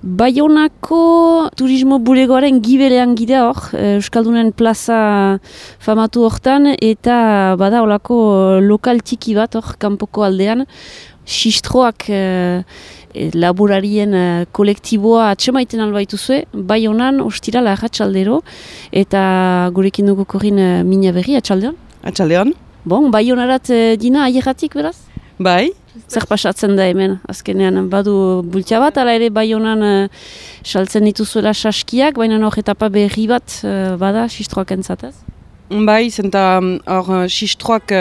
Baionako turismo bulegoaren gibelean gira hor, Euskaldunen plaza famatu hortan, eta bada olako lokal txiki bat hor, kanpoko aldean, Sistroak laborarien kolektiboa atsemaiten albaituzue, Baionan ostirala arratsaldero, eta gurekin dugu korin Mina Berri, atxaldean? Atxaldean. Bon, Baionarat dina aierratik beraz? Bai. Zer pasatzen da hemen, azkenean badu bultia bat, ala ere Baionan saltzen dituzuela saskiak, baina hor etapa berri bat bada Sistroak entzatez? Bai, zenta hor Sistroak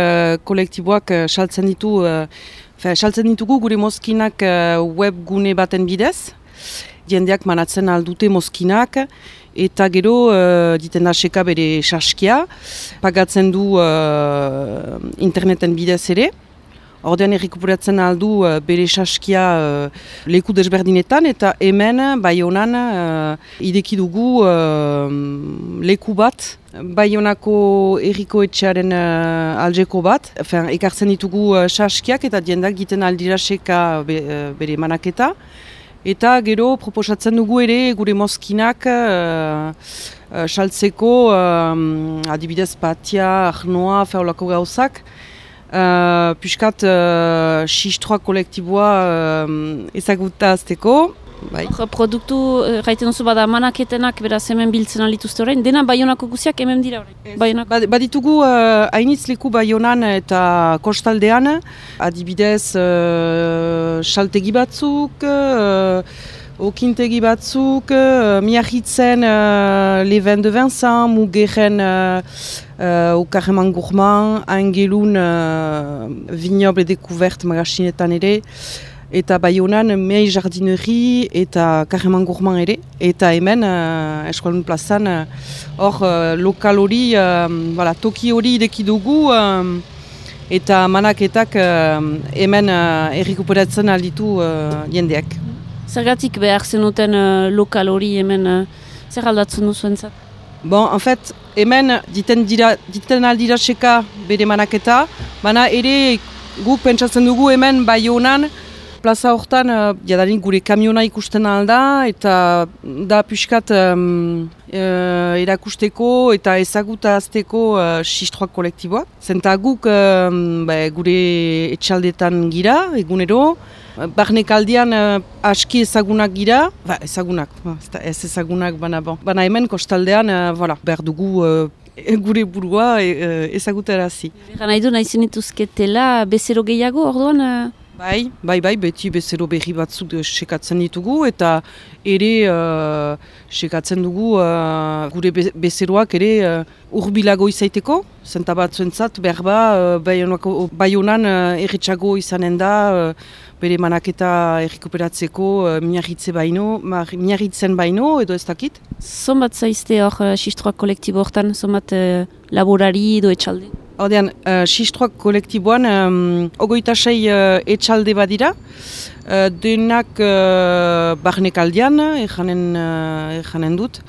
kolektiboak saltzen ditugu gure mozkinak webgune baten bidez. Jendeak manatzen aldute mozkinak, eta gero diten da seka bere saskia, pagatzen du interneten bidez ere. Ordean errekuperatzen aldu bere saskia leku desberdinetan, eta hemen, Baionan, ideki dugu leku bat, Baionako herriko etxearen aljeko bat. Ekartzen ditugu saskiak eta diendak giten aldira seka bere manaketa. Eta gero proposatzen dugu ere gure mozkinak saltzeko, adibidez patia, arnoa, olako gauzak. Piskat Sistroak kolektiboa ezaguta azteko. Bai. Produktu, gaiten duzu bada manaketenak beraz hemen biltzen alituzte orain, dena Baionako guziak hemen dira orain? Baditugu hainitz leku Baionan eta kostaldean, adibidez saltegi batzuk, okintegi batzuk, Miarritzen Leven de Vincent, Mugeren au Carreman Gourmand, Angelun Vignoble Découverte magazinetan ere, eta Baionan Mei Jardinerie eta Carreman Gourmand ere, eta hemen Eskualdun plazan hor lokal hori, toki hori ideki dugu, eta manaketak hemen errekuperatzen alditu jendeak. Zergatik behar zenuten lokal hori hemen zer aldatzen duzuentzat? Bon, en fait, hemen diten aldira seka bere manaketa, baina ere guk pentsatzen dugu hemen Baionan, plaza hortan, jadanik gure kamiona ikusten alda, eta da piskat erakusteko eta ezagutazteko Sistroak kolektiboak. Zenta guk gure etxaldetan gira, egunero, barnekaldian aski ezagunak gira, ez ezagunak, baina hemen kostaldean, behar dugu gure burua ezagutarazi. Egan nahi du, nahi zenituzketela bezero gehiago orduan? Bai, beti bezero berri batzuk sekatzen ditugu, eta ere sekatzen dugu gure bezeroak ere urbilago izaiteko, zenta batzuentzat behar Baionan erretxago izanen da, bere manaketa errekuperatzeko Miarritzen baino, edo ez dakit. Zonbat zaizte hor Sistroak kolektibo hortan, zonbat laborari edo etxalde? Ordean, Sistroak kolektiboan 26 etxalde badira, denak barnekaldian, ejanen dut.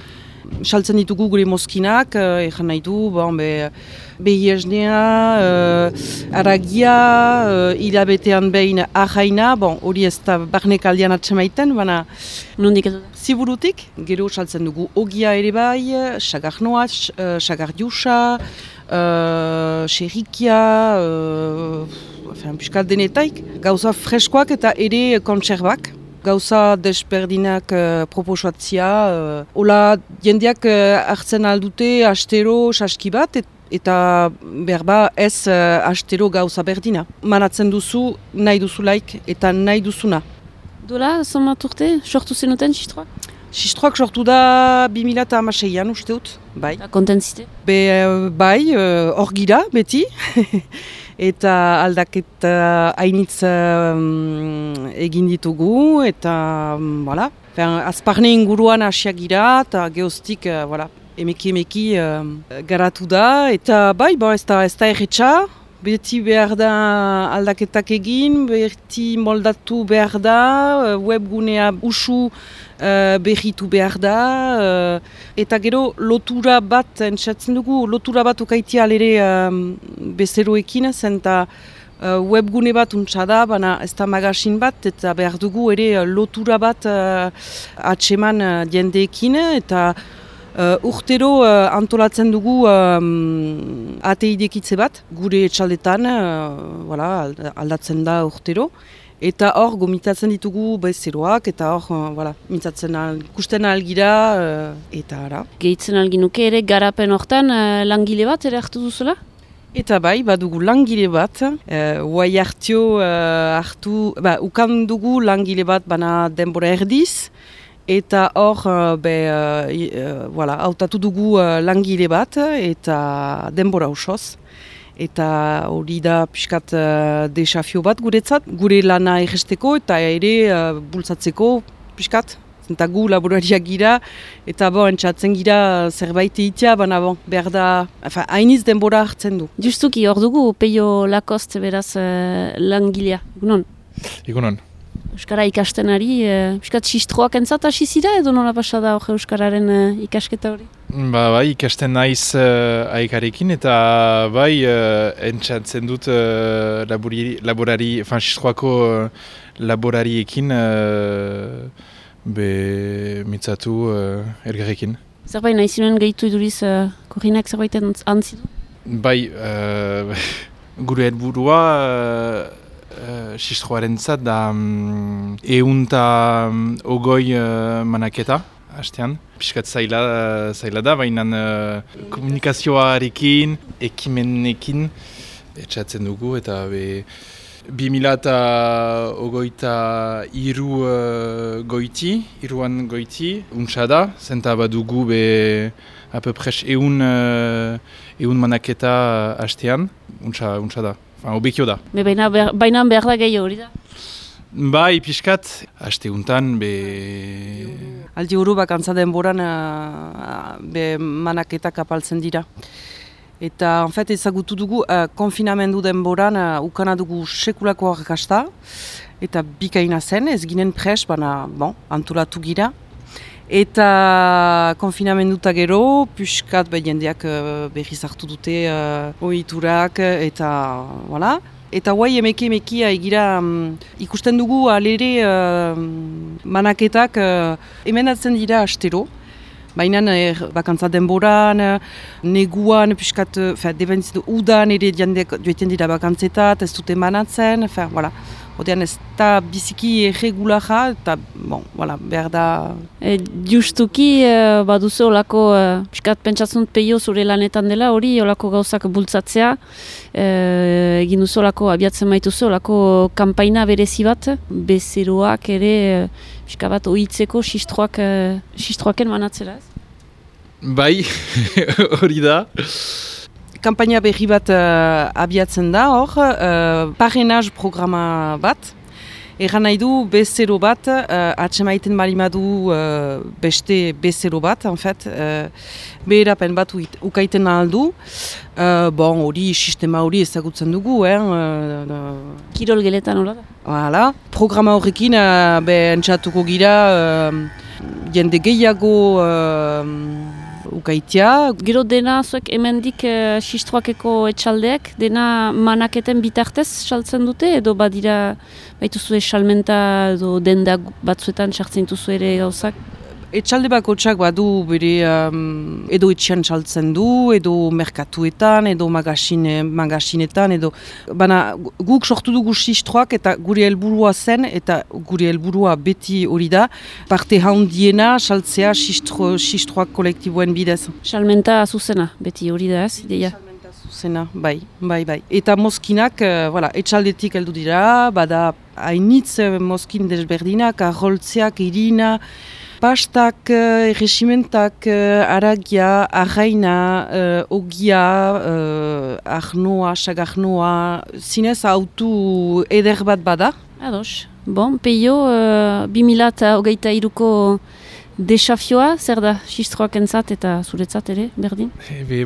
Saltzen ditugu gure mozkinak, ejan nahi du, behiesnea, aragia, hilabetean behin ahaina, hori ez da barnekaldian atsemaiten, baina nondik edo da? Ziburutik, gero saltzen dugu ogia ere bai, sagarnoa, sagardiusa, xerrikia, piskat denetaik, gauza freskoak eta ere kontserbak. Gauza desberdinak proposatzia. Ola, jendeak hartzen aldute astero saski bat, eta berba ez astero gauza berdina. Manatzen duzu, nahi duzulaik eta nahi duzuna. Dola, zonbat urte, sortu zenuten Sistroak? Sistroak sortu da 2016an usteut, bai. Eta kontentzite? Bai, hor gira, beti. Eta aldaketa hainitz egin ditugu, eta azparne inguruan hasiak gira, eta geostik emeki garatu da, eta bai, ez da erretxa, beti behar da aldaketak egin, beti moldatu behar da, webgunea usu berritu behar da, eta gero lotura bat, entzatzen dugu, lotura bat ukaitia alere bezeroekin, zenta webgune bat untsa da, baina ez da magasin bat, eta behar dugu ere lotura bat atseman jendeekin, eta urtero antolatzen dugu ateidekitze bat, gure etxaldetan, aldatzen da urtero. Eta hor gomitatzen ditugu bezeroak, eta hor ikusten algira, eta ara. Gehitzen alginuke ere garapen hortan langile bat ere hartu duzula? Eta bai, badugu langile bat, guai ukan dugu langile bat bana denbora erdiz, eta hor hautatu dugu langile bat, eta denbora osoz. Eta hori da pixkat desafio bat guretzat, gure lana egesteko eta ere bultzatzeko pixkat. Eta gu laborariak gira, eta entzatzen gira zerbait egitea, baina behar da, hainiz denbora hartzen du. Justuki hor dugu Peio Lacoste beraz langilea, egunon? Egunon. Euskara ikasten ari, pixkat sistroak entzat hasi zira edo nola pasada hori Euskararen ikasketa hori? Bai, ikasten naiz aikarekin eta bai entzatzen dut sistroako laborariekin mitzatu elgarrekin. Zerbait nahi zinuen gehitu iduriz Korinak zerbait antzidu? Bai, gure helburua sistroaren zat da 150 manaketa hastean. Piskat zaila da, baina komunikazioarekin, ekimenekin etxatzen dugu eta 2023 goiti, untsa da, zenta badugu apepres 100 manaketa hastean, untsa da. Obekio da. Baina behar da gehiago hori da? Bai, pixkat, haste untan, Aldi hori bakantza denboran manaketak apaltzen dira. Eta, ezagutu dugu, konfinamendu denboran ukana dugu sekulako arrakasta, eta bikaina zen, ez ginen pres, baina, antolatu gira. Eta konfinamenduta gero, pixkat jendeak berriz hartu dute ohiturak eta voilà. Eta guai emeki egira ikusten dugu alere manaketak emendatzen dira astero. Baina bakantza denboran, neguan, pixkat, debentzitu udan ere jendeak joiten dira bakantzetat, ez dute manatzen, voilà. Odean ez da biziki erregulaja, eta behar da... Justuki, baduzu olako, piskat pentsatzen Peio zure lanetan dela, hori olako gauzak bultzatzea, egin duzu olako, abiatzen maituzu olako kanpaina berezi bat, bezeroak ere, piskat bat ohitzeko sistroaken manatzera ez? Bai, hori da. Kampaina berri bat abiatzen da hor, parrainage programa bat. Egan nahi du bezero bat, atsemaiten balimadu beste bezero bat, beherapen bat ukaiten aldu. Hori, sistema hori ezagutzen dugu. Kirol geletan hola da? Hala, programa horrekin entzatuko gira jende gehiago ukaitea. Gero dena zuek hemendik sistroakeko etxaldeak, dena manaketen bitartez saltzen dute, edo badira baituzue salmenta edo denda batzuetan sartzen duzu ere gauzak? Etxalde bakotsak badu bere edo etxean saltzen du, edo merkatuetan, edo magasinetan, edo... Baina guk sortu dugu sistroak eta gure helburua zen, eta gure helburua beti hori da, parte handiena saltzea sistroak kolektiboen bidez. Salmenta zuzena, beti hori da ez, ideia? Salmenta zuzena, bai. Eta mozkinak, etxaldetik heldu dira, bada hainitz mozkin desberdinak, arroltzeak, irina, pastak, erregimentak, aragia, arraina, ogia, arnoa, sagarnoa, zinez autu eder bat bada. Ados. Peio, 2023ko desafioa, zer da sistroak entzat eta zuretzat ere, berdin?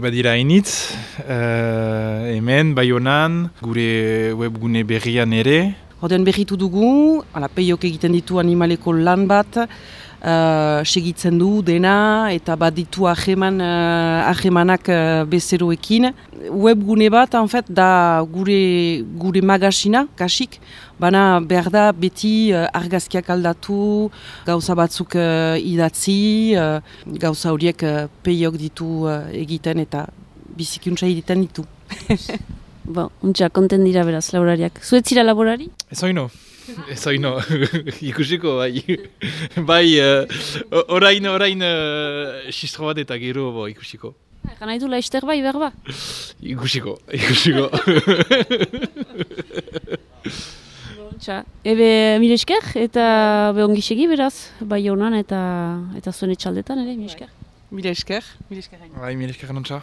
Badira hainitz, hemen, Baionan, gure webgune berrian ere. Oden berritu dugu, Peiok egiten ditu animaleko lan bat, segitzen du dena eta baditu ahemanak bezeroekin. Webgune bat, en fait, da gure magasina, kasik, baina behar da beti argazkiak aldatu, gauza batzuk idatzi, gauza horiek peiok ditu egiten eta bizikuntza egiten ditu. Bon, untxa, konten dira beraz, laborariak. Zuetzira laborari? Ez oino. Ikusiko, bai. Bai, orain sistro bat eta gero ikusiko. Egan nahi du laizter bai, berba? Ikusiko. Untxa, ebe mire esker eta behongisegi beraz, bai honan eta zuen etxaldetan ere, mire esker. Mire esker. Bai, mire esker nontxa.